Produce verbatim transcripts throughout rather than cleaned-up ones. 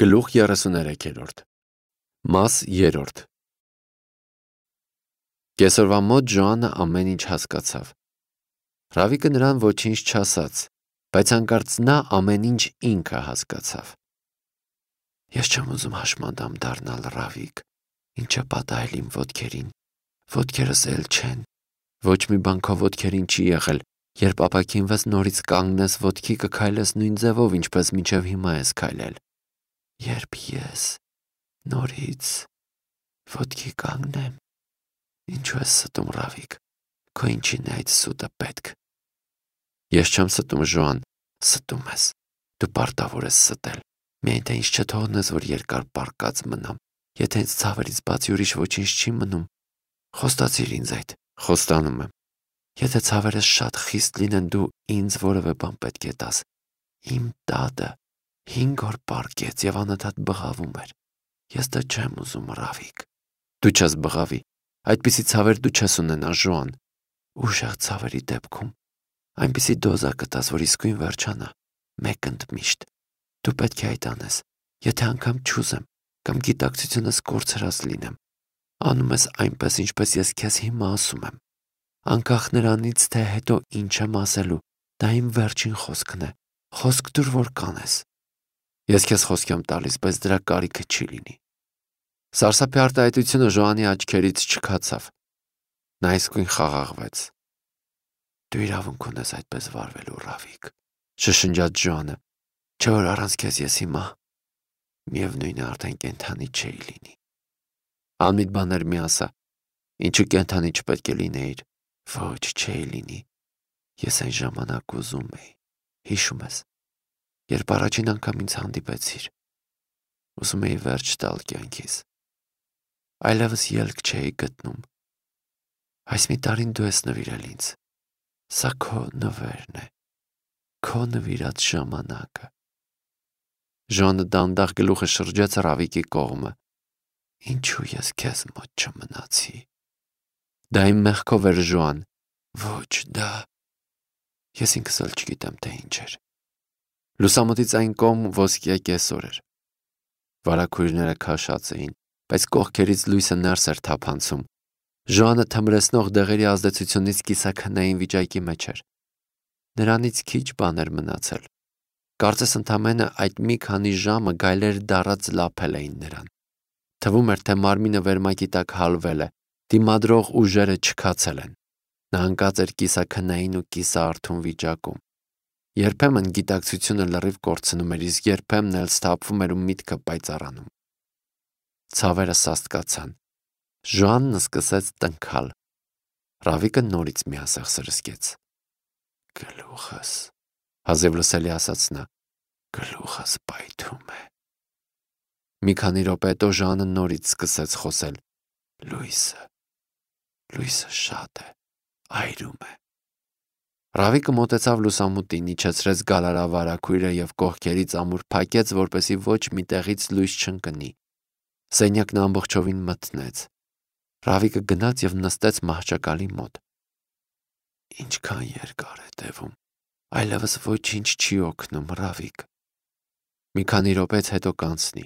Գլուխ երեսուներեքերորդ Մաս երրորդ Կեսօրվա մոտ Ջոանը ամեն ինչ հասկացավ։ Ռավիկը նրան ոչինչ չասաց, բայց հանկարծ նա ամեն ինչ ինքը հասկացավ։ Ես չեմ ուզում հաշմանդամ դառնալ, Ռավիկ, ինչը պատահել իմ ոտքերին, ոտքերս էլ չեն, ոչ մի բան քո ոտքերին չի եղել, երբ ապաքինվես նորից կանգնես ոտքի կքայլես նույն ձևով, ինչպես մինչև հիմա ես քայլել։ Երբ ես նորից ոտքի կանգնեմ, ինչու ես ստում, Ռավիկ, քո ինչին է այդ սուտը պետք։ Ես չեմ ստում, Ժոան, ստում ես, դու պարտավոր ես ստել, միայն թե ինձ չթողնես, որ երկար պառկած մնամ, եթե ինձ ցավերից բացի ուրիշ ոչինչ չի մնում, խոստացիր ինձ այդ, խոստանում եմ, եթե ցավերս շատ խիստ լինեն, դու ինձ որևէ բան պետք է տաս, իմ տատը հինգ օր պառկեց և անընդհատ բղավում էր, ես դա չեմ ուզում, Ռավիկ, դու չես բղավի, այդպիսի ցավեր դու չես ունենա, Ժոան, ուժեղ ցավերի դեպքում, այնպիսի դոզա կտաս, որ իսկույն վերջանա, մեկ ընդմիշտ, դու պետք է այդ անես, եթե անգամ չուզեմ, կամ գիտակցությունս կորցրած լինեմ, անում ես այնպես, ինչպես ես քեզ հիմա ասում եմ, անկախ նրանից, թե հետո ինչ եմ ասելու, դա իմ վերջին խոսքն է, խոսք դուր, որ կանես։ Ես քեզ խոսք եմ տալիս, բայց դրա կարիքը չի լինի։ Սարսափի արտահայտությունը Ժոանի աչքերից չքացավ։ Նա իսկույն խաղաղվեց։ Դու իրավունք ունես այդպես վարվելու, Ռավիկ, շշնջաց Ժոանը, չէ՞ որ առանց քեզ ես հիմա միևնույն է արդեն կենդանի չէի լինի։ Անմիտ բաներ մի ասա, ինչու կենդանի չպետք է լինեիր, ոչ չէի լինի, ես այն ժամանակ ուզում էի, հիշում ես, երբ առաջին անգամ ինձ հանդիպեցիր, ուզում էի վերջ տալ կյանքիս, այլևս ելք չէի գտնում, այս մի տարին դու ես նվիրել ինձ, սա քո նվերն է, քո նվիրած ժամանակը։ Ժոանը դանդաղ գլուխը շրջեց Ռավիկի կողմը, ինչու ես քեզ մոտ չմնացի։ Դա իմ մեղքով էր, Ժոան, ոչ դա, ես ինքս էլ չգիտեմ, թե ինչ էր։ Լուսամուտից այն կողմ ոսկյա կեսօր էր։ Վարագույրները քաշած էին, բայց կողքերից լույսը ներս էր թափանցում։ Ժոանը թմրեցնող դեղերի ազդեցությունից կիսաքնային վիճակի մեջ էր։ Նրանից քիչ բան էր մնացել։ Կարծես ընդամենը այդ մի քանի ժամը գայլեր դառած լափել էին նրան։ Թվում էր, թե մարմինը վերմակի տակ հալվել է, դիմադրող ուժերը չքացել են։ Նա ընկած էր կիսաքնային ու կիսաարթուն վիճակում։ Երբեմն գիտակցությունը լրիվ կորցնում էր, իսկ երբեմն էլ սթափվում էր ու միտքը պայծառանում։ Ցավերը սաստկացան։ Ժոանն սկսեց տնքալ։ Ռավիկը նորից միասեղ սրսկեց։ Գլուխս, հազիվ լսելի ասաց նա, գլուխս պայթում է։ Մի քանի րոպե հետո Ժոանը նորից սկսեց խոսել։ Լույսը, լույսը շատ է, այրում է։ Ռավիկը մոտեցավ լուսամուտին, իջեցրեց գալարավարագույրը և կողքերից ամուր փակեց, որպեսզի ոչ մի տեղից լույս չընկնի։ Սենյակն ամբողջովին մթնեց։ Ռավիկը գնաց և նստեց մահճակալի մոտ։ Ինչքան երկար է տևում, այլևս ոչինչ չի օգնում, Ռավիկ։ Մի քանի րոպեից հետո կանցնի։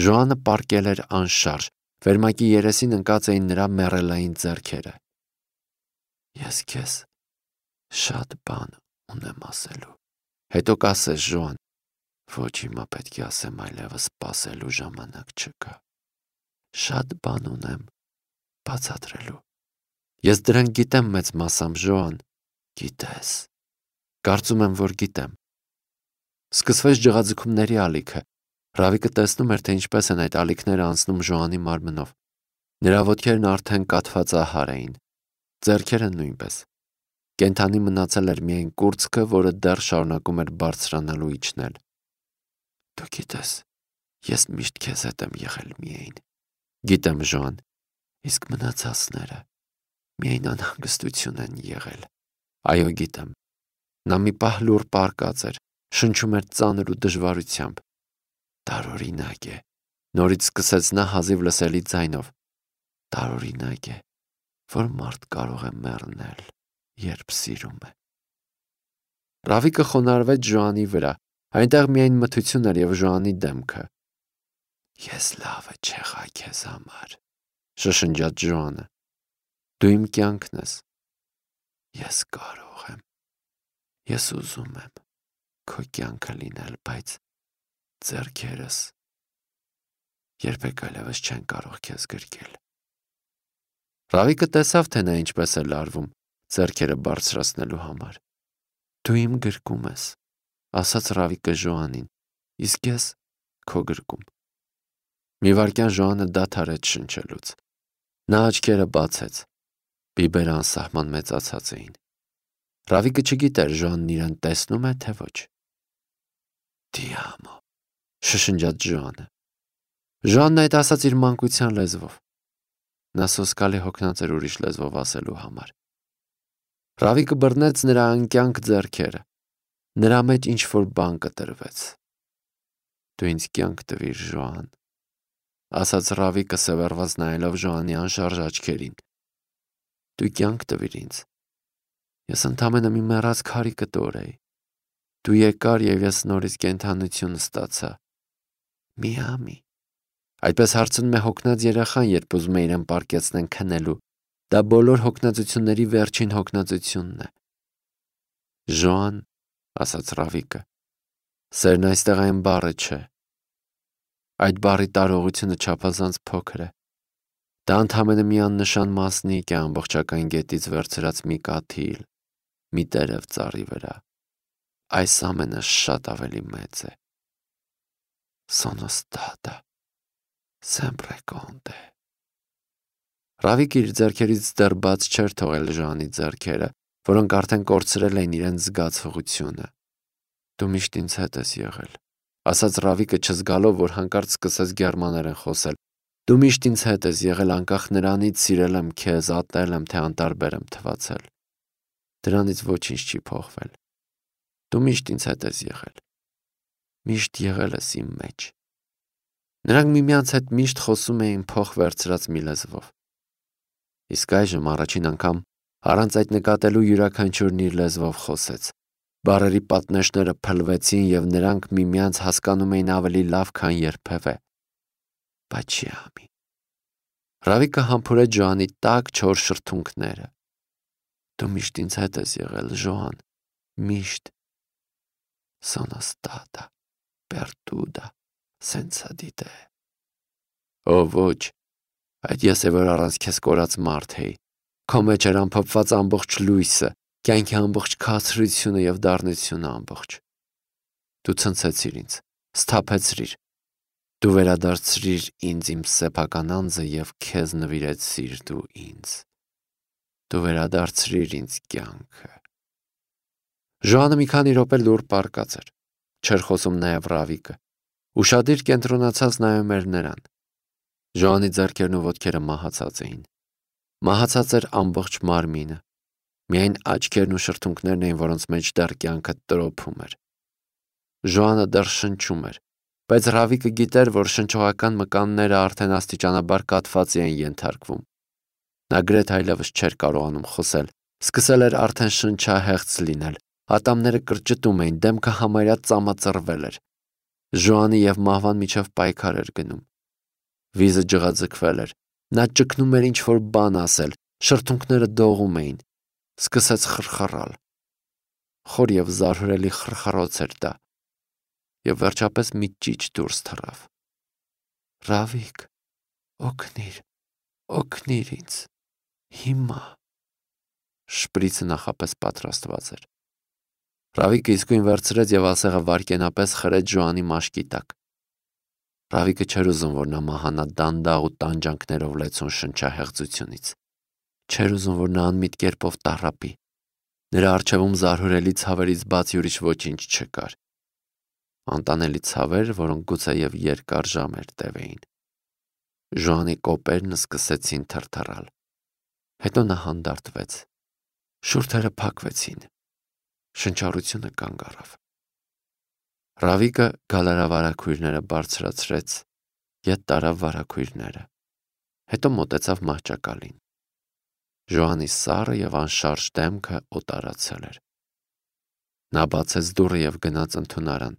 Ժոանը պառկել էր անշարժ, վերմակի երեսին ընկած էին նրա մեռելային ձեռքերը։ Ես քեզ շատ բան ունեմ ասելու։ Հետո կասես, Ժոան, ոչ հիմա պետք է ասեմ, այլևս սպասելու ժամանակ չկա։ Շատ բան ունեմ բացատրելու։ Ես դրանք գիտեմ մեծ մասամբ, Ժոան, գիտես։ Կարծում եմ, որ գիտեմ։ Սկսվեց ջղաձգումների ալիքը։ Ռավիկը տեսնում էր, թե ինչպես են այդ ալիքները անցնում Ժոանի մարմնով։ Նրա ոտքերն արդեն կաթվածահար էին, ձեռքերը նույնպես։ Կենդանի մնացել էր միայն կուրծքը, որը դեռ շարունակում էր բարձրանալ ու իջնել։ Դու գիտես, ես միշտ քեզ հետ եմ եղել միայն։ Գիտեմ, Ժոան, իսկ մնացածները միայն անհանգստություն են եղել։ Այո, գիտեմ։ Նա մի պահ լուռ պառկած էր, շնչում էր ծանր ու դժվարությամբ։ Տարօրինակ է, նորից սկսեց նա հազիվ լսելի ձայնով։ Տարօրինակ է, որ մարդ կարող է մեռնել, երբ սիրում է։ Ռավիկը խոնարհվեց Ժոանի վրա, Այնտեղ միայն մթություն էր և Ժոանի դեմքը։ Ես լավը չեղա քեզ համար, շշնջաց Ժոանը։ Դու իմ կյանքն ես։ Ես կարող եմ։ Ես ուզում եմ քո կյանքը լինել, բայց ձեռքերս երբեք այլևս չեն կարող քեզ գրկել։ Ռավիկը տեսավ, թե նա ինչպես է լարվում ձեռքերը բարձրացնելու համար։ Դու իմ գրկում ես, ասաց Ռավիկը Ժոանին, իսկ ես քո գրկում։ Մի վայրկյան Ժոանը դադարեց շնչելուց։ Նա աչքերը բացեց։ Բիբերը անսահման մեծացած էին։ Ռավիկը չգիտեր Ժոանն իրեն տեսնում է, թե ոչ։ Ti amo, շշնջաց Ժոանը։ Ժոանն այդ ասաց իր մանկության լեզվով։ Նա սոսկալի հոգնած էր ուրիշ լեզվով ասելու համար։ Ռավիկը բռնեց նրա անկյանք ձեռքերը։ Նրա մեջ ինչ-որ բան կտրվեց։ Դու ինձ կյանք տվիր, Ժոան, ասաց Ռավիկը սևեռված նայելով Ժոանի անշարժ աչքերին։ Դու կյանք տվիր ինձ։ Ես ընդամենը մի մեռած քարի կտոր էի։ Դու եկար և ես նորից կենդանություն ստացա։ Միամի։ Այդպես հարցնում է հոգնած երեխան, երբ ուզում է իրեն պառկեցնեն քնելու։ Դա բոլոր հոգնածությունների վերջին հոգնածությունն է։ Ժոան, ասաց Ռավիկը, սերն այստեղ այն բառը չէ։ Այդ բառի տարողությունը չափազանց փոքր է։ Դա ընդամենը մի աննշան մասնիկ է ամբողջական գետից վերցրած մի կաթիլ, մի տերև ծառի վրա։ Այս ամենը շատ ավելի մեծ է։ Sono stata sempre con te։ Ռավիկը իր ձեռքերից դեռ բաց չէր թողել Ժոանի ձեռքերը, որոնք արդեն կորցրել էին իրենց զգացողությունը։ Դու միշտ ինձ հետ ես եղել, ասաց Ռավիկը չզգալով, որ հանկարծ սկսեց գերմաներեն խոսել։ Դու միշտ ինձ հետ ես եղել, անկախ նրանից սիրել եմ քեզ, ատել եմ, թե անտարբեր եմ թվացել։ Դրանից ոչինչ չի փոխվել։ Դու միշտ ինձ հետ ես եղել։ Միշտ եղել ես իմ մեջ։ Նրանք միմյանց հետ միշտ խոսում էին փող վերցրած մի լեզվով։ Իսկ այժմ առաջին անգամ առանց այդ նկատելու յուրաքանչյուրն իր լեզվով խոսեց։ Բառերի պատնեշները փլվեցին և նրանք միմյանց հասկանում էին ավելի լավ, քան երբևէ։ Պաչիամի։ Ռավիկը համբուրեց Ժոանի տաք չոր շրթունքները։ Դու միշտ ինձ հետ ես եղել, Ժոան, միշտ։ Sono stata perduta senza di te։ Ո ոչ, այդ ես է, որ առանց քեզ կորած մարդ էի։ Քո մեջ էր ամփոփված ամբողջ լույսը, կյանքի ամբողջ քաղցրությունը և դառնությունը ամբողջ։ Դու ցնցեցիր ինձ, սթափեցրիր։ Դու վերադարձրիր ինձ իմ սեփական անձը և քեզ նվիրեցիր դու ինձ։ Դու վերադարձրիր ինձ կյանքը։ Ժոանը մի քանի րոպե լուռ պառկած էր։ Չէր խոսում նաև Ռավիկը։ Ուշադիր կենտրոնացած նայում էր նրան։ Ժոանի ձեռքերն ու ոտքերը մահացած էին։ Մահացած էր ամբողջ մարմինը։ Միայն աչքերն ու շրթունքներն էին, որոնց մեջ դեռ կյանքը տրոփում էր։ Ժոանը դեռ շնչում էր, բայց Ռավիկը գիտեր, որ շնչողական մկանները արդեն աստիճանաբար կաթվածի են ենթարկվում։ Նա գրեթե այլևս չէր կարողանում խոսել, սկսել էր արդեն շնչահեղձ լինել, ատամները կրճտում էին, դեմքը համարյա ծամածռվել էր։ Ժոանի և մահվան միջև պայքար էր գնում։ Վիզը ջղաձգվել էր, նա ճգնում էր ինչ-որ բան ասել, շրթունքները դողում էին, սկսեց խռխռալ։ Խոր և զարհուրելի խռխռոց էր դա, և վերջապես մի ճիչ դուրս թռավ։ Ռավիկ, օգնիր, օգնիր ինձ, հիմա։ Շպրիցը նախապես պատրաստված էր։ Ռավիկը իսկույն վերցրեց և ասեղը վայրկենապես խրեց Ժոանի մաշկի տակ։ Ռավիկը չէր ուզում, որ նա մահանա դանդաղ ու տանջանքներով լեցուն շնչահեղձությունից։ Չէր ուզում, որ նա անմիտ կերպով տառապի։ Նրա առջևում զարհուրելի ցավերից բացի ուրիշ ոչինչ չկար։ Անտանելի ցավեր, որոնք գուցեև երկար ժամեր տևեին։ Ժոանի կոպերն սկսեցին թրթռալ։ Հետո նա հանդարտվեց։ Շուրթերը փակվեցին։ Շնչառությունը կանգ առավ։ Ռավիկը գալարավարակույրները բարձրացրեց, ետ տարավ վարակույրները։ Հետո մոտեցավ մահճակալին։ Ժոանի սառը և անշարժ դեմքը օտարացել էր։ Նա բացեց դուռը և գնաց ընդունարան,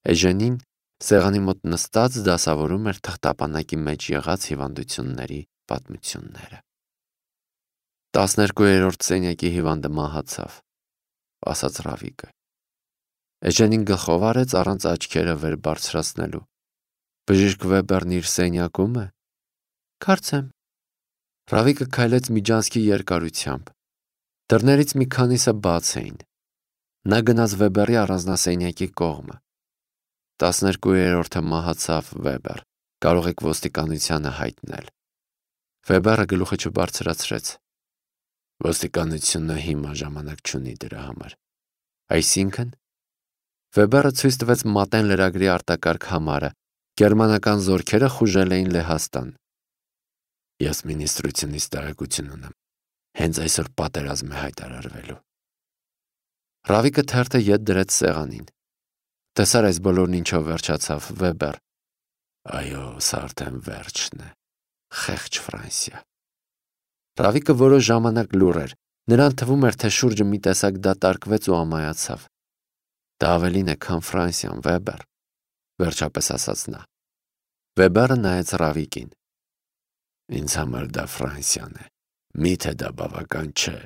Էժենին սեղանի մոտ նստած դասավորում էր թղթապանակի մեջ եղած հիվանդությունների պատմությունները։ Տասներկուերորդ սենյակի հիվանդը մահացավ, ասաց Ռավիկը։ Էժենին գլխով արեց առանց աչքերը վեր բարձրացնելու։ Բժիշկ Վեբերն իր սենյակում է։ Կարծեմ։ Ռավիկը քայլեց միջանցքի երկարությամբ։ Դռներից մի քանիսը բաց էին։ Նա գնաց Վեբերի առանձնասենյակի կողմը։ Տասներկուերորդը մահացավ, Վեբեր, կարող եք ոստիկանությանը հայտնել։ Վեբերը գլուխը չբարձրացրեց։ Ոստիկանությունը հիմա ժամանակ չունի դրա համար։ Այսինքն, Վեբերը ցույց տվեց մատեն լրագրի արտակարգ համարը, գերմանական զորքերը խուժել էին Լեհաստան։ Ես մինիստրությունից տեղեկություն ունեմ։ Հենց այսօր պատերազմ է հայտարարվելու։ Ռավիկը թերթը ետ դրեց սեղանին։ Տեսար այս բոլորն ինչով վերջացավ, Վեբեր։ Այո, սա արդեն վերջն է։ Խեղճ Ֆրանսիա։ Ռավիկը որոշ ժամանակ լուռ էր։ Նրան թվում էր, թե շուրջը մի տեսակ դատարկվեց ու ամայացավ։ Դա ավելին է, քան Ֆրանսիան, Վեբեր, վերջապես ասաց նա։ Վեբերը նայեց Ռավիկին։ Ինձ համար դա Ֆրանսիան է։ Միթե դա բավական չէ։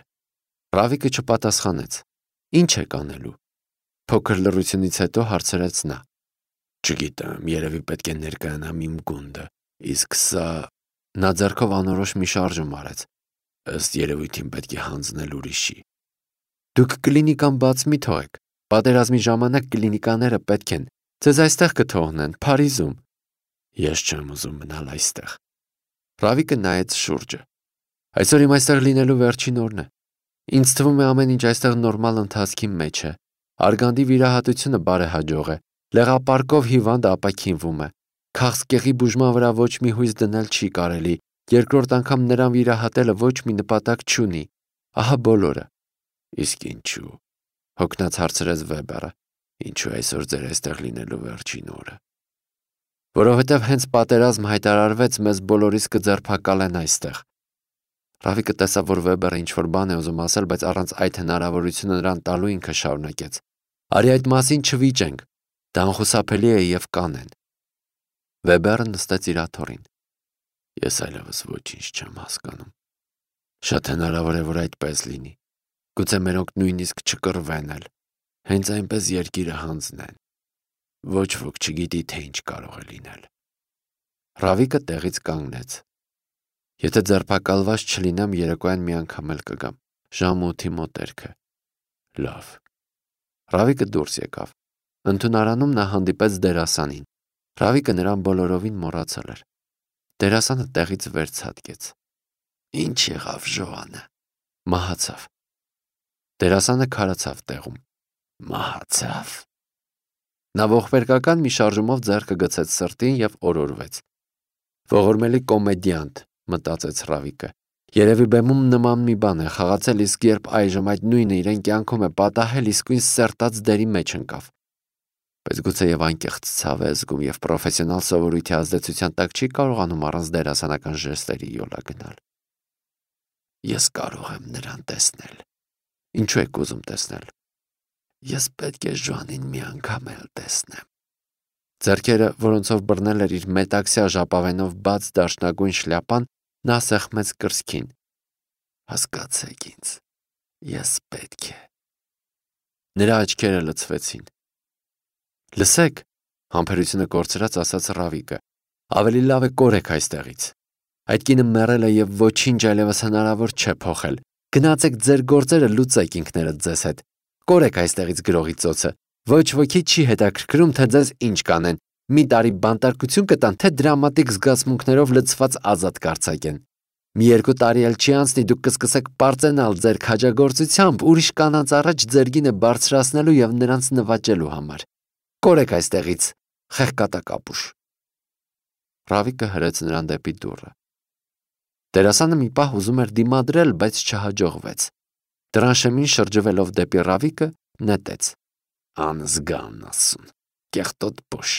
Ռավիկը չպատասխանեց։ Ինչ է կանելու։ Փոքր լռությունից հետո հարցրեց նա։ Չգիտեմ, երևի պետք է ներկայանամ իմ գունդը, իսկ սա… Նա ձեռքով անորոշ մի շարժում արեց։ Ըստ երևույթին պետք է հանձնել ուրիշի։ Դուք կլինիկան բաց մի թողեք։ Պատերազմի ժամանակ կլինիկաները պետք են։ Ձեզ այստեղ կթողնեն, Փարիզում։ Ես չեմ ուզում մնալ այստեղ։ Ռավիկը նայեց շուրջը։ Այսօր իմ այստեղ լինելու վերջին օրն է։ Ինձ թվում է ամեն ինչ այստեղ նորմալ ընթացքի մեջ է։ Արգանդի վիրահատությունը բարեհաջող է։ Լեղապարկով հիվանդը ապաքինվում է։ Քաղցկեղի բուժման վրա ոչ մի հույս դնել չի կարելի։ Երկրորդ անգամ նրան վիրահատելը ոչ մի նպատակ չունի։ Ահա բոլորը։ Իսկ ինչու։ Հոգնած հարցրեց Վեբերը։ Ինչու այսօր ձեր այստեղ լինելու վերջին օրը։ Որովհետև հենց պատերազմ հայտարարվեց, մեզ բոլորիս կձերբակալեն այստեղ։ Ռավիկը տեսավ, որ Վեբերը ինչ-որ բան է ուզում ասել, բայց առանց այդ հնարավորությունը նրան տալու ինքը շարունակեց։ Արի այդ մասին չվիճենք։ Դա անխուսափելի է և կանեն։ Վեբերը նստեց իր աթոռին։ Ես այլևս ոչինչ չեմ հասկանում։ Շատ հնարավոր է, որ այդպես լինի։ Գուցե մերոնք նույնիսկ չկռվեն էլ։ Հենց այնպես երկիրը հանձնեն։ Ոչ ոք չգիտի, թե ինչ կարող է լինել։ Ռավիկը տեղից կանգնեց։ Եթե ձերբակալված չլինեմ, երեկոյան մի անգամ էլ կգամ։ Ժամը ութի մոտերքը։ Լավ։ Ռավիկը դուրս եկավ։ Ընդունարանում նա հանդիպեց դերասանին։ Ռավիկը նրան բոլորովին մոռացել էր։ Դերասանը տեղից վերցատկեց։ Ինչ եղավ Ժոանը։ Մահացավ։ Դերասանը քարացավ տեղում։ Մահացավ։ Նա ողբերգական մի շարժումով ձեռքը գցեց սրտին և օրորվեց։ Ողորմելի կոմեդիանտ, մտածեց Ռավիկը։ Երևի բեմում նման մի բան է խաղացել, իսկ երբ այժմ այդ նույնը իրեն կյանքում է պատահել, իսկույն սերտած դերի մեջ ընկավ։ Բայց գուցե և անկեղծ ցավ է զգում և պրոֆեսիոնալ սովորույթի ազդեցության տակ չի կարողանում առանց դերասանական ժեստերի յոլա գնալ։ Ես կարող եմ նրան տեսնել։ Ինչու եք ուզում տեսնել։ Ես պետք է Ժոանին մի անգամ էլ տեսնեմ։ Ձեռքերը, որոնցով բռնել էր իր մետաքսյա ժապավենով բաց դաշնագույն շլյապան, նա սեղմեց կրծքին։ Հասկացեք ինձ, ես պետք է։ Նրա աչքերը լցվեցին։ Լսեք, համբերությունը կորցրած ասաց Ռավիկը, ավելի լավ է կորեք այստեղից։ Այդ կինը մեռել է և ոչինչ այլևս հնարավոր չէ փոխել։ Գնացեք ձեր գործերը լուծեք ինքներդ ձեզ հետ։ Կորեք այստեղից գրողի ծոցը։ Ոչ ոքի չի հետաքրքրում, թե ձեզ ինչ կանեն։ Մի տարի բանտարկություն կտան, թե դրամատիկ զգացմունքներով լցված ազատ կարձակեն։ Մի երկու տարի էլ չի անցնի, դուք կսկսեք պարծենալ ձեր քաջագործությամբ ուրիշ կանանց առաջ ձեր գինը բարձրացնելու և նրանց նվաճելու համար։ Կորեք այստեղից, խեղկատակապուշ։ Ռավիկը հրեց նրան դեպի դուռը։ Դերասանը մի պահ ուզում էր դիմադրել, բայց չհաջողվեց։ Դրանշեմին շրջվելով դեպի Ռավիկը նետեց. Անզգան ասուն, կեղտոտ բոշ։